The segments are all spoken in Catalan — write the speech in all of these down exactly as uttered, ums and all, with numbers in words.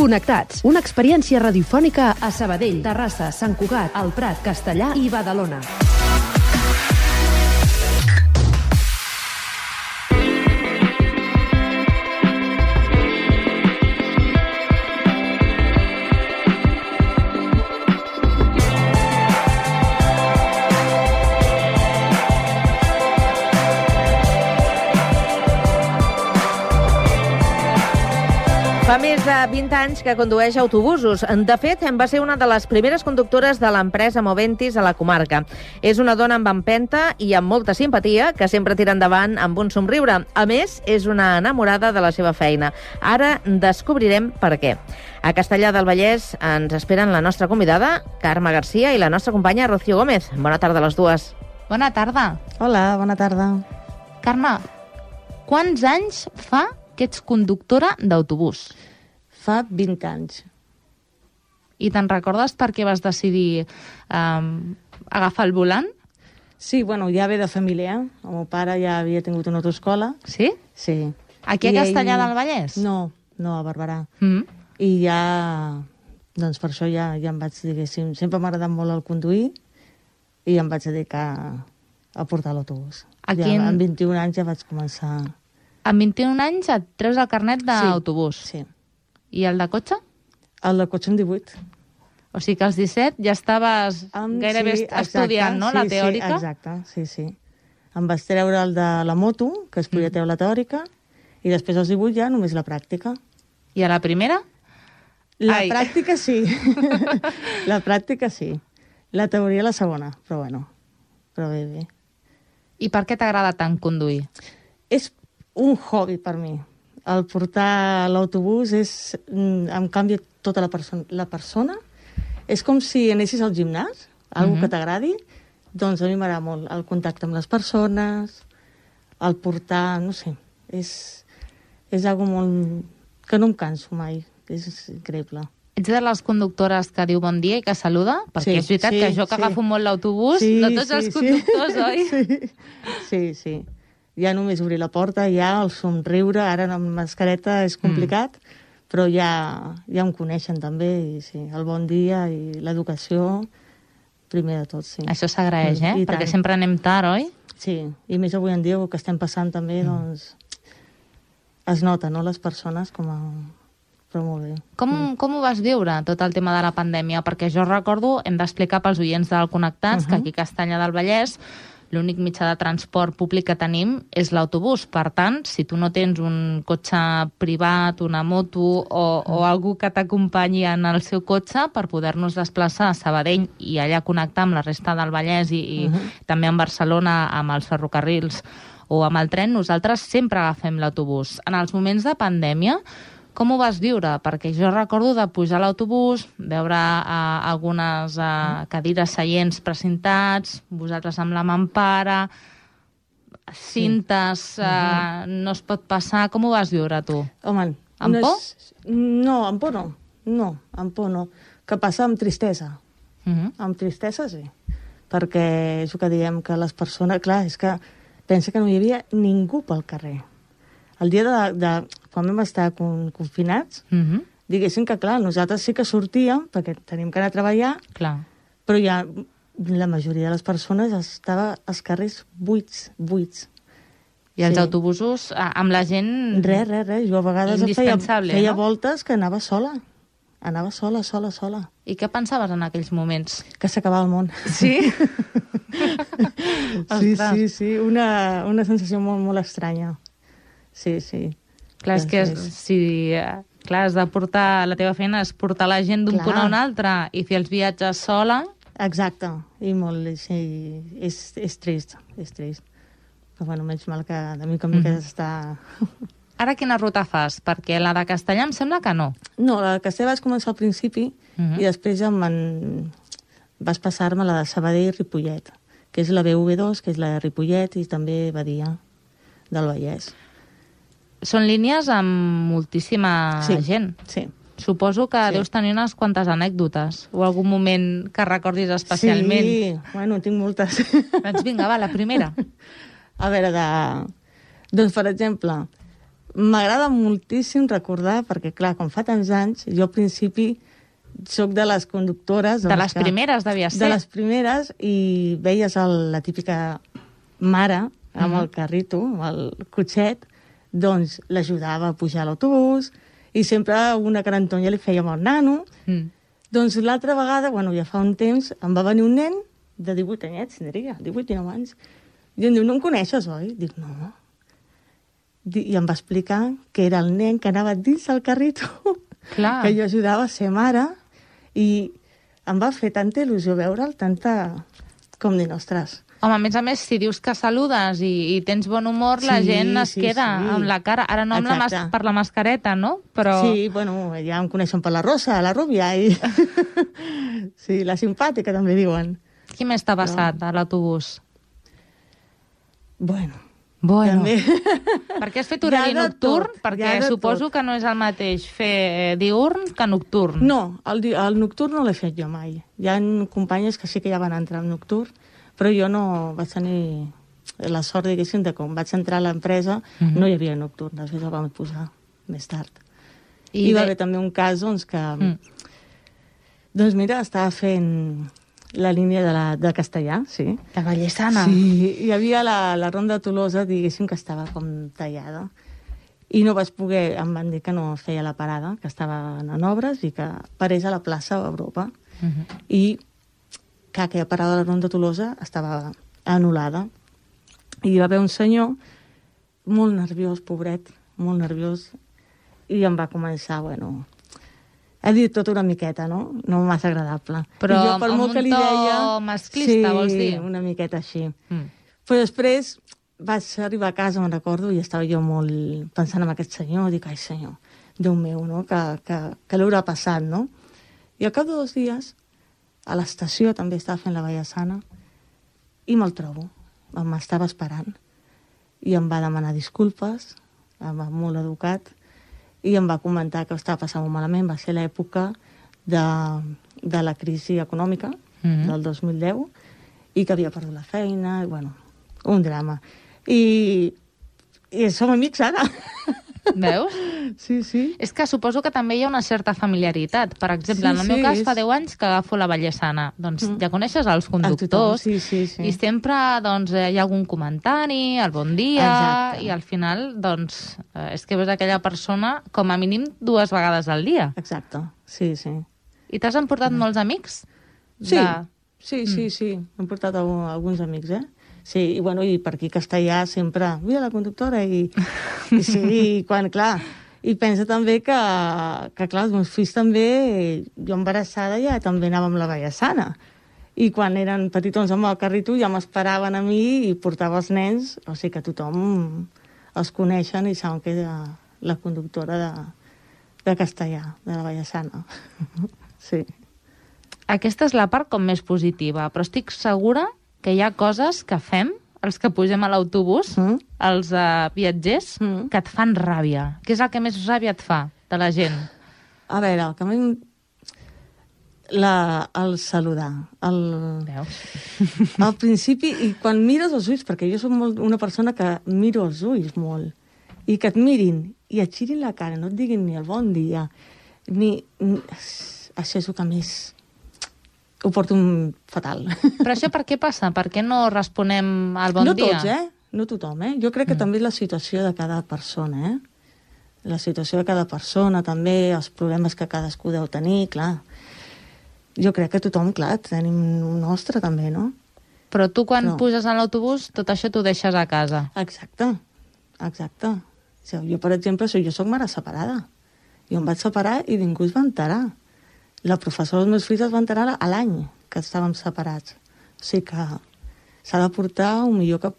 Connectats, una experiència radiofònica a Sabadell, Terrassa, Sant Cugat, El Prat, Castellar i Badalona. Fa més de vint anys que condueix autobusos. De fet, va ser una de les primeres conductores de l'empresa Moventis a la comarca. És una dona amb empenta i amb molta simpatia que sempre tira endavant amb un somriure. A més, és una enamorada de la seva feina. Ara descobrirem per què. A Castellar del Vallès ens esperen la nostra convidada, Carme Garcia, i la nostra companya, Rocío Gómez. Bona tarda a les dues. Bona tarda. Hola, bona tarda. Carme, quants anys fa que ets conductora d'autobús? Fa vint anys. I te'n recordes per què vas decidir um, agafar el volant? Sí, bueno, ja ve de família. El meu pare ja havia tingut una autoescola. Sí? Sí. Aquí a I Castellar ell... del Vallès? No, no, a Barberà. Mm. I ja, doncs per això ja, ja em vaig, diguéssim, sempre m'ha agradat molt el conduir i em vaig dedicar a portar l'autobús. A ja, quin... Amb vint-i-un anys ja vaig començar... Amb vint-i-un anys et treus el carnet d'autobús? Sí, sí. I el de cotxe? El de cotxe amb divuit. O sigui que als disset ja estaves um, gairebé sí, estudiant, no?, sí, la teòrica? Sí, exacte, sí, sí. Em vaig treure el de la moto, que es podia treure la teòrica, i després als divuit ja només la pràctica. I a la primera? La Ai. pràctica sí. La pràctica sí. La teoria la segona, però bueno, però bé, bé. I per què t'agrada tant conduir? És un hobby per mi. El portar l'autobús és... em canvia tota la persona. La persona és com si anessis al gimnàs, algo Mhm. que t'agradi, doncs a mi m'agrada molt el contacte amb les persones, el portar, no sé, és, és algo molt... que no em canso mai, és increïble. Ets de les conductores que diu bon dia i que saluda? Perquè Sí, és veritat sí, que jo que sí. agafo molt l'autobús, Sí, no tots sí, els sí. conductors, oi? Sí, sí, sí. Ja només obrir la porta, ja el somriure, ara amb mascareta és complicat, mm. però ja, ja em coneixen també, i sí, el bon dia i l'educació, primer de tot, sí. Això s'agraeix, eh? I Perquè tant. sempre anem tard, oi? Sí, i més avui en dia, el que estem passant també, mm. doncs, es nota, no?, les persones com a... però molt bé. Com, Mm. com ho vas viure, tot el tema de la pandèmia? Perquè jo recordo, hem d'explicar pels oients del Connectats, uh -huh. que aquí a Castellar del Vallès l'únic mitjà de transport públic que tenim és l'autobús. Per tant, si tu no tens un cotxe privat, una moto o, o algú que t'acompanyi en el seu cotxe per poder-nos desplaçar a Sabadell i allà connectar amb la resta del Vallès i, i uh-huh. també amb Barcelona, amb els ferrocarrils o amb el tren, nosaltres sempre agafem l'autobús. En els moments de pandèmia, com ho vas viure? Perquè jo recordo de pujar a l'autobús, veure uh, algunes uh, cadires seients precintats, vosaltres amb la mampara, cintes, uh, no es pot passar... Com ho vas viure, tu? Home, amb por? És... No, amb por no. No, amb por no. Que passa amb tristesa. Uh -huh. Amb tristesa, sí. Perquè és el que diem, que les persones... Clar, és que pensa que no hi havia ningú pel carrer. El dia de, de quan vam estar con, confinats, uh -huh. diguéssim que, clar, nosaltres sí que sortíem, perquè tenim que anar a treballar, clar. però ja la majoria de les persones estava als carrers buits, buits. I els Sí. autobusos, amb la gent... Res, res, res. Jo a vegades feia, indispensable, feia no? voltes que anava sola. Anava sola, sola, sola. I què pensaves en aquells moments? Que s'acabava el món. Sí? Sí, Ostres. sí, sí. Una, una sensació molt, molt estranya. Sí, sí. Clar, és que Sí. si... Clar, has de portar... La teva feina és portar la gent d'un Clar. punt a un altre i fer els viatges sola. Exacte. I molt... Sí, és, és trist, és trist. Però bueno, menys mal que de mica en mica Mhm. està... Ara quina ruta fas? Perquè la de Castellar em sembla que no. No, la de Castellar vaig començar al principi Mhm. i després ja me'n... vas passar-me la de Sabadell i Ripollet, que és la B V dos, que és la de Ripollet i també Badia del Vallès. Són línies amb moltíssima Sí. gent. Sí. Suposo que Sí. deus tenir unes quantes anècdotes o algun moment que recordis especialment. Sí, bueno, tinc moltes. Doncs vinga, va, la primera. A veure, de... doncs, per exemple, m'agrada moltíssim recordar, perquè, clar, com fa tants anys, jo al principi soc de les conductores... De les primeres, devia ser. De les primeres, i veies el, la típica mare amb mm-hmm. el carrito, amb el cotxet, doncs l'ajudava a pujar a l'autobús, i sempre una carantonya li feia amb el nano. Mm. Doncs l'altra vegada, bueno, ja fa un temps, em va venir un nen de divuit anyets, tindria, divuit, dinou anys, i em diu, no em coneixes, oi? Dic, no. I em va explicar que era el nen que anava dins del carrito, clar, que jo ajudava a ser mare, i em va fer tanta il·lusió veure'l, tanta... com dir, ostres... Home, a més a més, si dius que saludes i, i tens bon humor, sí, la gent es sí, queda sí. amb la cara... Ara no amb la mas per la mascareta, no? Però... Sí, bueno, ja em coneixen per la rosa, la rúbia, i... sí, la simpàtica, també diuen. Qui més t'ha passat no. a l'autobús? Bueno... Bueno, també. Per què has fet horari ja nocturn? Perquè ja suposo tot. Que no és el mateix fer diürn que nocturn. No, el, el nocturn no l'he fet jo mai. Hi ha companyes que sí que ja van entrar en nocturn, però jo no vaig tenir la sort, diguéssim, de com vaig entrar a l'empresa, mm-hmm. no hi havia nocturn, després el vam posar més tard. I hi va de... haver també un cas doncs, que... Mm. Doncs mira, estava fent... la línia de, la, de castellà, sí. La Vallesana. Sí, hi havia la, la ronda de Tolosa, diguéssim, que estava com tallada. I no vaig poder, em van dir que no feia la parada, que estaven en obres i que parés a la plaça Europa. Uh-huh. I que aquella parada de la ronda de Tolosa estava anul·lada. I hi va haver un senyor molt nerviós, pobret, molt nerviós, i em va començar, bueno... Ha dit tot una miqueta, no? No massa agradable. Però jo, per amb molt un que li deia, to masclista, sí, vols dir? Sí, una miqueta així. Mm. Però després vaig arribar a casa, me'n recordo, i estava jo molt pensant en aquest senyor, dic, ai senyor, Déu meu, no? Que, que, que l'haurà passat, no? I al cap de dos dies, a l'estació també estava fent la Vallesana, i me'l trobo, m'estava esperant, i em va demanar disculpes, em va molt educat, i em va comentar que estava passant molt malament. Va ser l'època de, de la crisi econòmica mm-hmm. del dos mil deu i que havia perdut la feina, i, bueno, un drama. I, i som amics ara. Veus? Sí, sí. És que suposo que també hi ha una certa familiaritat. Per exemple, sí, en el meu sí, cas, és... fa deu anys que agafo la Vallesana. Doncs mm. ja coneixes els conductors, sí, sí, sí. i sempre doncs, hi ha algun comentari, el bon dia, exacte. I al final, doncs, és que veus aquella persona com a mínim dues vegades al dia. Exacte, sí, sí. I t'has emportat mm. molts amics? Sí, de... sí, sí, mm. sí. M'he portat alguns amics, eh? Sí, i, bueno, i per aquí castellà sempre, mira la conductora, i, i sí, i quan, clar, i pensa també que, que clar, els meus fills també, jo embarassada ja també anava amb la Vallesana, i quan eren petitons amb el carrito ja m'esperaven a mi i portava els nens, o sigui que tothom els coneixen i saben que és la, la conductora de, de castellà, de la Vallesana. Sí. Aquesta és la part com més positiva, però estic segura que hi ha coses que fem, els que pugem a l'autobús, mm. els uh, viatgers, mm. que et fan ràbia. Què és el que més ràbia et fa de la gent? A veure, el que a mi... La, el saludar. El... Veus? Al principi, i quan mires els ulls, perquè jo soc molt, una persona que miro els ulls molt, i que et mirin, i et girin la cara, no et diguin ni el bon dia, ni... ni... Això és el que més... ho porto un fatal. Però això per què passa? Per què no responem al bon no dia? No tots, eh? No tothom, eh? Jo crec que mm. també és la situació de cada persona, eh? La situació de cada persona, també, els problemes que cadascú deu tenir, clar. Jo crec que tothom, clar, tenim un nostre també, no? Però tu quan no. puges a l'autobús, tot això t'ho deixes a casa. Exacte, exacte. Jo, per exemple, jo soc mare separada. Jo em vaig separar i ningú es va enterar. La professora dels meus fills es va enterar a l'any que estàvem separats. O sigui que s'ha de portar un millor que,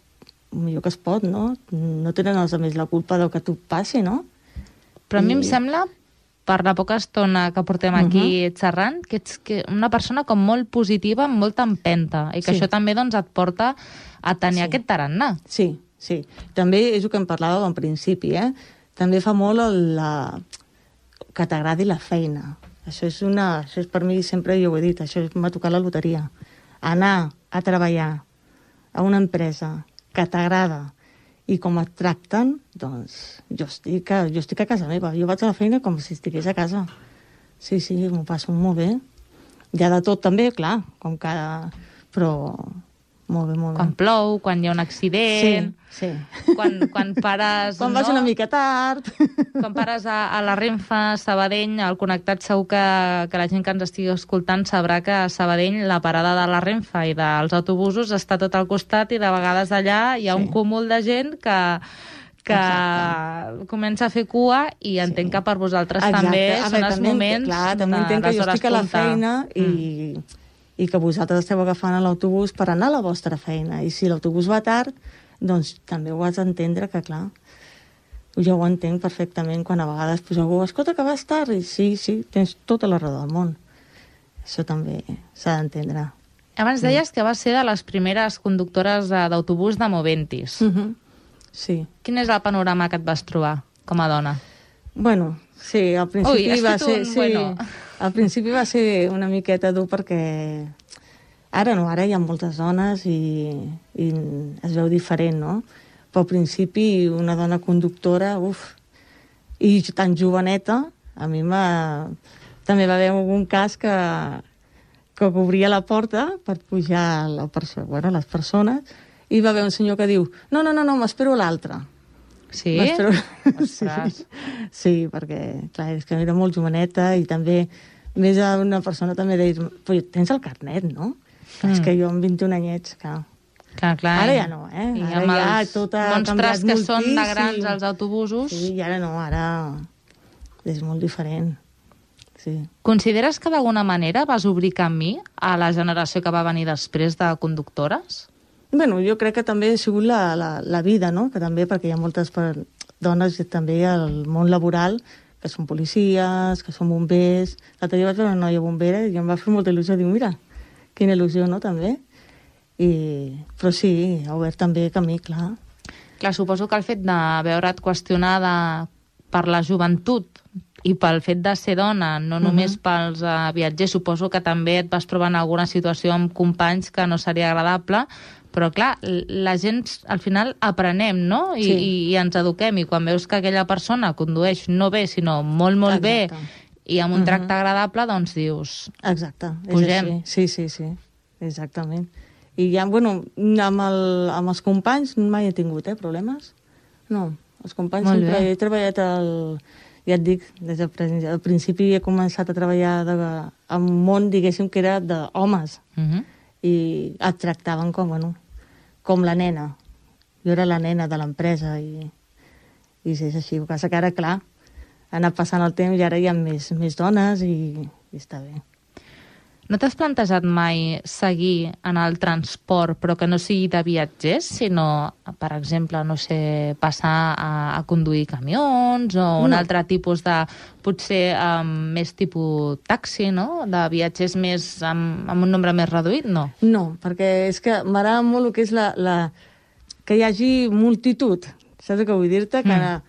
un millor que es pot, no? No tenen els altres la culpa del que tu passi, no? Però a I... mi em sembla, per la poca estona que portem aquí uh-huh. xerrant, que ets que una persona com molt positiva, amb molta empenta, i que sí. això també doncs, et porta a tenir sí. aquest tarannà. Sí, sí. També és el que em parlàvem al principi, eh? També fa molt el, la... que t'agradi la feina. Això és una... Això és per mi, sempre jo ho he dit, això m'ha tocat la loteria. Anar a treballar a una empresa que t'agrada i com et tracten, doncs jo estic, a, jo estic a casa meva. Jo vaig a la feina com si estigués a casa. Sí, sí, m'ho passo molt bé. Hi ha de tot també, clar, com cada... Però molt bé, molt bé. Quan plou, quan hi ha un accident... Sí, sí. Quan, quan pares... Quan vas no? una mica tard... Quan pares a, a la Renfe, Sabadell, al Connectat, segur que, que la gent que ens estigui escoltant sabrà que a Sabadell la parada de la Renfe i dels autobusos està tot al costat i de vegades allà hi ha sí. un cúmul de gent que, que comença a fer cua i entenc sí. que per vosaltres Exacte. també a són veure, els moments clar, també entenc que jo estic a la feina i, mm. i que vosaltres esteu agafant l'autobús per anar a la vostra feina. I si l'autobús va tard, doncs també ho has d'entendre que, clar, jo ho entenc perfectament quan a vegades pues, algú, escolta, que vas tard, i sí, sí, tens tota la raó del món. Això també s'ha d'entendre. Abans deies que vas ser de les primeres conductores d'autobús de Moventis. Uh-huh. Sí. Quin és el panorama que et vas trobar com a dona? Bueno, sí, al principi Ui, va ser... un Sí, bueno. al principi va ser una miqueta dur perquè... Ara no, ara hi ha moltes dones i, i es veu diferent, no? Però al principi una dona conductora, uf, i tan joveneta, a mi m'ha... També va haver algun cas que, que obria la porta per pujar la perso bueno, les persones i va haver un senyor que diu no, no, no, no m'espero l'altre. Sí? sí, sí, perquè, clar, és que era molt joveneta i també, més a una persona també deia, tens el carnet, no? Mm. És que jo amb vint-i-un anyets, clar. Clar, clar. Ara ja no, eh? I ara amb ja els tot ha monstres canviat que moltíssim. són de grans als autobusos. Sí, i ara no, ara és molt diferent. Sí. Consideres que d'alguna manera vas obrir camí a la generació que va venir després de conductores? Bueno, jo crec que també ha sigut la, la, la vida, no? Que també, perquè hi ha moltes per, dones també al món laboral que són policies, que són bombers. L'altre dia vaig veure una noia bombera i em va fer molta il·lusió. Diu, mira, quina il·lusió, no?, també. I... Però sí, ha obert també camí, clar. Clar, suposo que el fet de veure't qüestionada per la joventut i pel fet de ser dona, no només uh -huh. pels uh, viatgers, suposo que també et vas trobar en alguna situació amb companys que no seria agradable, però clar, la gent al final aprenem, no? I, sí. i, i ens eduquem, i quan veus que aquella persona condueix no bé, sinó molt, molt Exacte. bé, i amb un uh-huh. tracte agradable, doncs dius... Exacte, pugem. És així. Sí, sí, sí, exactament. I ja, bueno, amb, el, amb els companys mai he tingut, eh, problemes. No, els companys Molt sempre bé. he treballat al... Ja et dic, des del principi he començat a treballar de, en un món, diguéssim, que era d'homes. Uh-huh. I et tractaven com, bueno, com la nena. Jo era la nena de l'empresa i, i és així. El que passa que ara, clar, ha anat passant el temps i ara hi ha més, més dones i, i està bé. No t'has plantejat mai seguir en el transport, però que no sigui de viatgers, sinó, per exemple, no sé, passar a, a conduir camions o un no. altre tipus de, potser um, més tipus taxi, no?, de viatgers més amb, amb un nombre més reduït, no? No, perquè és que m'agrada molt el que és la, la... que hi hagi multitud. Saps què vull dir-te? Que, mm.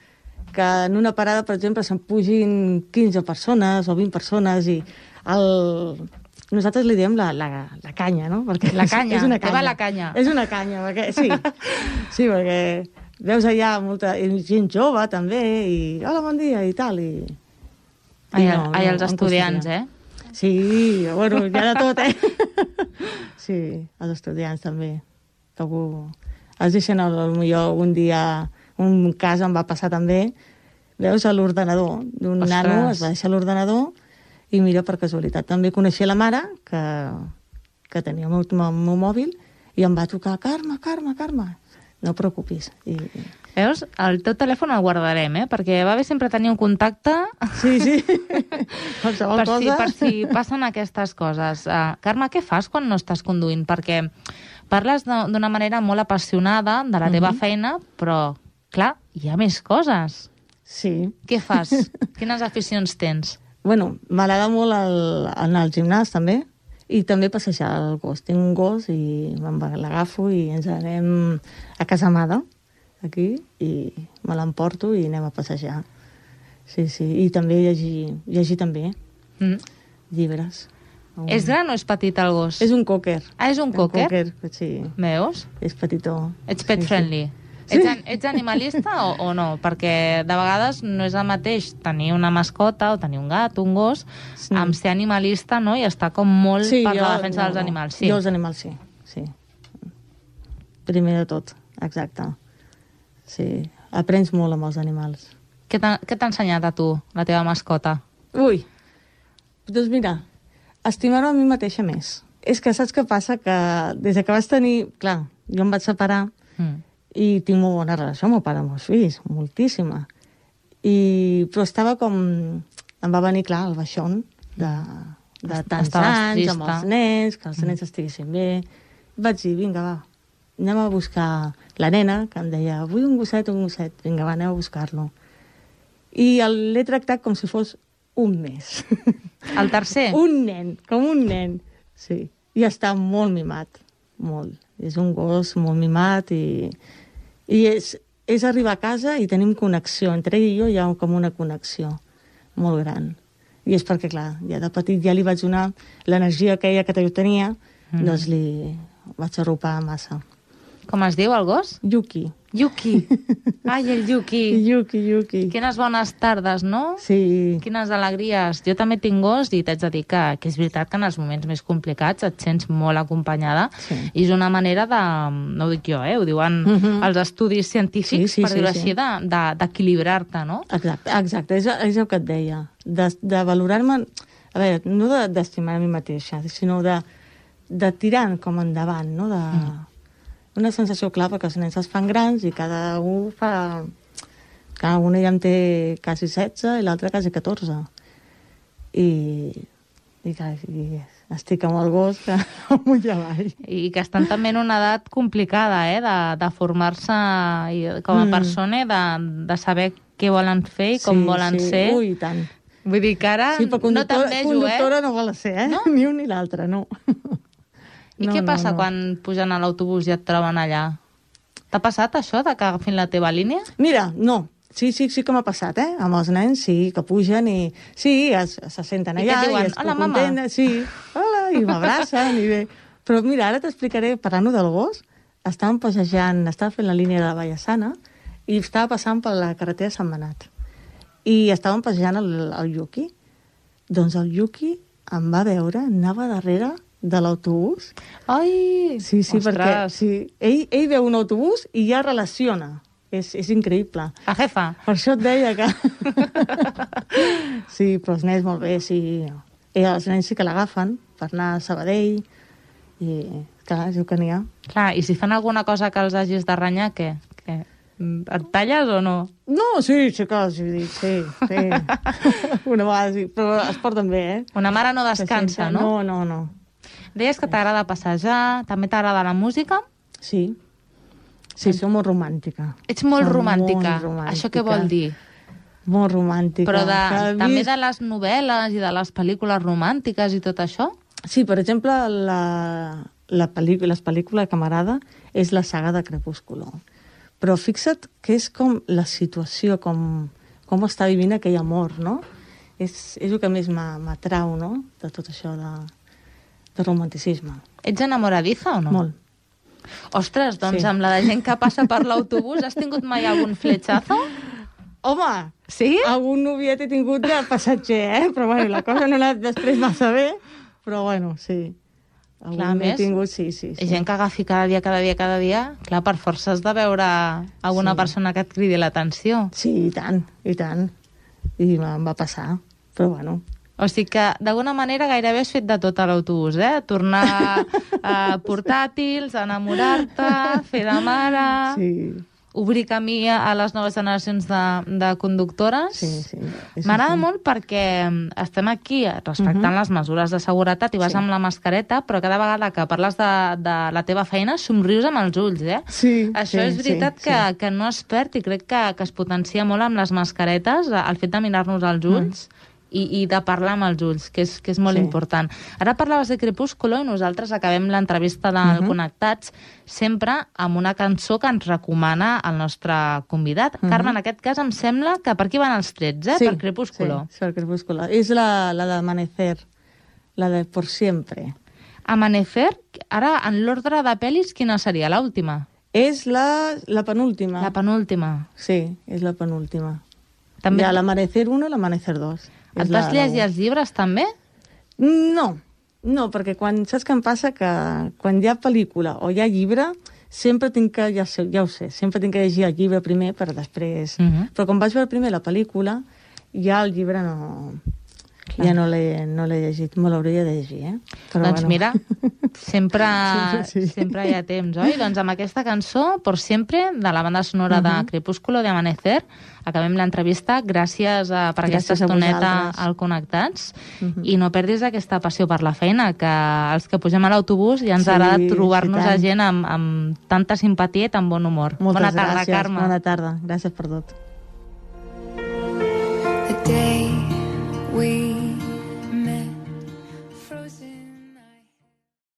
que en una parada, per exemple, se'n pugin quinze persones o vint persones i el... Nosaltres li diem la, la, la canya, no? Perquè la canya, és una canya. va la canya. És una canya, perquè, sí. Sí, perquè veus allà molta gent jove, també, i hola, bon dia, i tal, i... Ai, I no, ai, els no, estudiants, eh? Sí, bueno, hi ha de tot, eh? Sí, els estudiants també. Que algú... Es deixen, potser un dia, un cas em va passar també, veus, a l'ordenador d'un nano, es va deixar l'ordenador, i mira, per casualitat, també coneixia la mare, que, que tenia el meu, el meu mòbil, i em va trucar, Carme, Carme, Carme, no et preocupis. I... Veus? El teu telèfon el guardarem, eh? Perquè va bé sempre tenir un contacte... Sí, sí. Qualsevol per, cosa. si, per si passen aquestes coses. Uh, Carme, què fas quan no estàs conduint? Perquè parles d'una manera molt apassionada de la teva uh-huh. feina, però, clar, hi ha més coses. Sí. Què fas? Quines aficions tens? Bueno, m'agrada molt el, anar al gimnàs, també, i també passejar el gos. Tinc un gos i l'agafo i ens anem a Casa Amada, aquí, i me l'emporto i anem a passejar. Sí, sí, i també llegir, llegir també, mm. llibres. Un... És gran o és petit el gos? És un cocker. Ah, és un cocker? Un cocker, sí. Veus? És petitó. Ets pet sí, friendly. Sí. Sí. Ets, ets animalista o, o no? Perquè de vegades no és el mateix tenir una mascota o tenir un gat, un gos, sí. amb ser animalista, no? I estar com molt sí, per jo, la defensa no, dels animals. Sí. Jo els animals sí, sí. Primer de tot, exacte. Sí, aprens molt amb els animals. Què t'ha ensenyat a tu, la teva mascota? Ui, doncs mira, estimar-me a mi mateixa més. És que saps què passa? Que des que vas tenir... Clar, jo em vaig separar mm. i tinc molt bona relació amb el pare dels meus fills, moltíssima. I, però estava com... Em va venir, clar, el baixón de, de tants Estaves anys, trista. Amb els nens, que els nens mm. estiguessin bé. Vaig dir, vinga, va, anem a buscar la nena, que em deia, vull un gosset, un gosset. Vinga, va, anem a buscar-lo. I l'he tractat com si fos un mes. El tercer? Un nen, com un nen, sí. I està molt mimat, molt. És un gos molt mimat i, i és, és arribar a casa i tenim connexió. Entre ell i jo hi ha com una connexió molt gran. I és perquè, clar, ja de petit ja li vaig donar l'energia que ella que jo tenia, mm. doncs li vaig arropar massa. Com es diu el gos? Yuki. Yuki. Ai, el Yuki. Yuki, Yuki. Quines bones tardes, no? Sí. Quines alegries. Jo també tinc gos i t'haig de dir que, que és veritat que en els moments més complicats et sents molt acompanyada sí. i és una manera de... No ho dic jo, eh? Ho diuen uh -huh. els estudis científics, sí, sí, per dir-ho sí, així, sí. d'equilibrar-te, no? Exacte, exacte. És, és el que et deia. De, de valorar-me... A veure, no d'estimar de, a mi mateixa, sinó de, de tirar com endavant, no? De... Mm. Una sensació clara, perquè els nens es fan grans i cada un fa... Cada una ja en té quasi setze i l'altre quasi catorze. I, i, i estic amb el gos que amunt i avall. I que estan també en una edat complicada, eh? De, de formar-se com a mm. persona, de, de saber què volen fer i com sí, volen sí. ser. Ui, tant. Vull dir que ara sí, no t'envejo, eh? Conductora no vol ser, eh? No? Ni un ni l'altre, no. I no, què passa no, no. quan pugen a l'autobús i et troben allà? T'ha passat això, de que agafin la teva línia? Mira, no. Sí, sí, sí que m'ha passat, eh? Amb els nens, sí, que pugen i... Sí, es, se senten allà i, diuen, i es hola, mama. Contenten, sí, hola, i m'abracen i bé. Però mira, ara t'explicaré, parlant del gos, estàvem passejant, estava fent la línia de la Vallesana i estava passant per la carretera de Sant Benat. I estàvem passejant el, el Yuki. Doncs el Yuki em va veure, anava darrere de l'autobús. Ai! Sí, sí, ostres. perquè sí, ell, ell veu un autobús i ja relaciona. És, és increïble. La jefa. Per això et deia que... sí, però els nens molt bé, sí. I els nens sí que l'agafen per anar a Sabadell i, clar, és el que n'hi ha. Clar, i si fan alguna cosa que els hagis de renyar, què? què? Et talles o no? No, sí, sí que els dic, sí, sí. Una vegada sí, però es porten bé, eh? Una mare no descansa, no? No, no, no. Deies que t'agrada passejar, també t'agrada la música? Sí. Sí, som molt romàntica. Ets molt som romàntica. Molt romàntica. Això què vol dir? Molt romàntica. Però de, també vist... de les novel·les i de les pel·lícules romàntiques i tot això? Sí, per exemple, la, la pel·lícula, les pel·lícules que m'agrada és la saga de Crepúsculo. Però fixa't que és com la situació, com, com està vivint aquell amor, no? És, és el que més m'atrau, no?, de tot això de, de romanticisme. Ets enamoradiza o no? Molt. Ostres, doncs sí. amb la de gent que passa per l'autobús, has tingut mai algun fletxazo? Home, sí? Algun noviet he tingut de passatger, eh? Però bueno, la cosa no ha anat després massa bé, però bueno, sí. Algun clar, més, tingut, sí, sí, sí. gent que agafi cada dia, cada dia, cada dia, clar, per força has de veure alguna sí. persona que et cridi l'atenció. Sí, i tant, i tant. I em va passar, però bueno... O sigui que, d'alguna manera, gairebé has fet de tot a l'autobús, eh? Tornar a portàtils, enamorar-te, fer de mare... Sí. Obrir camí a les noves generacions de, de conductores. Sí, sí. M'agrada sí. molt perquè estem aquí respectant uh -huh. les mesures de seguretat i vas sí. amb la mascareta, però cada vegada que parles de, de la teva feina somrius amb els ulls, eh? Sí, Això sí, és veritat sí, que, sí. que no es perd i crec que, que es potencia molt amb les mascaretes, el fet de mirar-nos als ulls. Mm. I, i de parlar amb els ulls, que és, que és molt sí. important. Ara parlaves de Crepúsculo i nosaltres acabem l'entrevista del uh -huh. Connectats sempre amb una cançó que ens recomana el nostre convidat. Uh -huh. Carme, en aquest cas em sembla que per aquí van els trets, eh? Sí, per Crepúsculo. Sí, per Crepúsculo. És la, la d'Amanecer, la de Por Siempre. Amanecer, ara en l'ordre de pel·lis, quina seria l'última? És la, la penúltima. La penúltima. Sí, és la penúltima. També... Hi ha l'Amanecer uno i l'Amanecer dos. Et vas llegir els llibres, també? No, no, perquè quan, saps què em passa? Que quan hi ha pel·lícula o hi ha llibre, sempre tinc que, ja, sé, ja ho sé, sempre tinc que llegir el llibre primer per després... Uh -huh. Però quan vaig veure primer la pel·lícula, ja el llibre no... Clar. Ja no l'he no l'he llegit, me l'hauria de llegir, eh? Però doncs bueno. mira, sempre, sí, sí. sempre hi ha temps, oi? Doncs amb aquesta cançó, Por Siempre, de la banda sonora uh -huh. de Crepúsculo, de Amanecer, acabem l'entrevista. Gràcies a, per Gràcies aquesta estoneta a al Connectats. Uh -huh. I no perdis aquesta passió per la feina, que els que pugem a l'autobús ja ens sí, agrada trobar-nos sí, a gent amb, amb tanta simpatia i tan bon humor. Moltes Bona tarda, gràcies. Carme. Bona tarda. Gràcies per tot.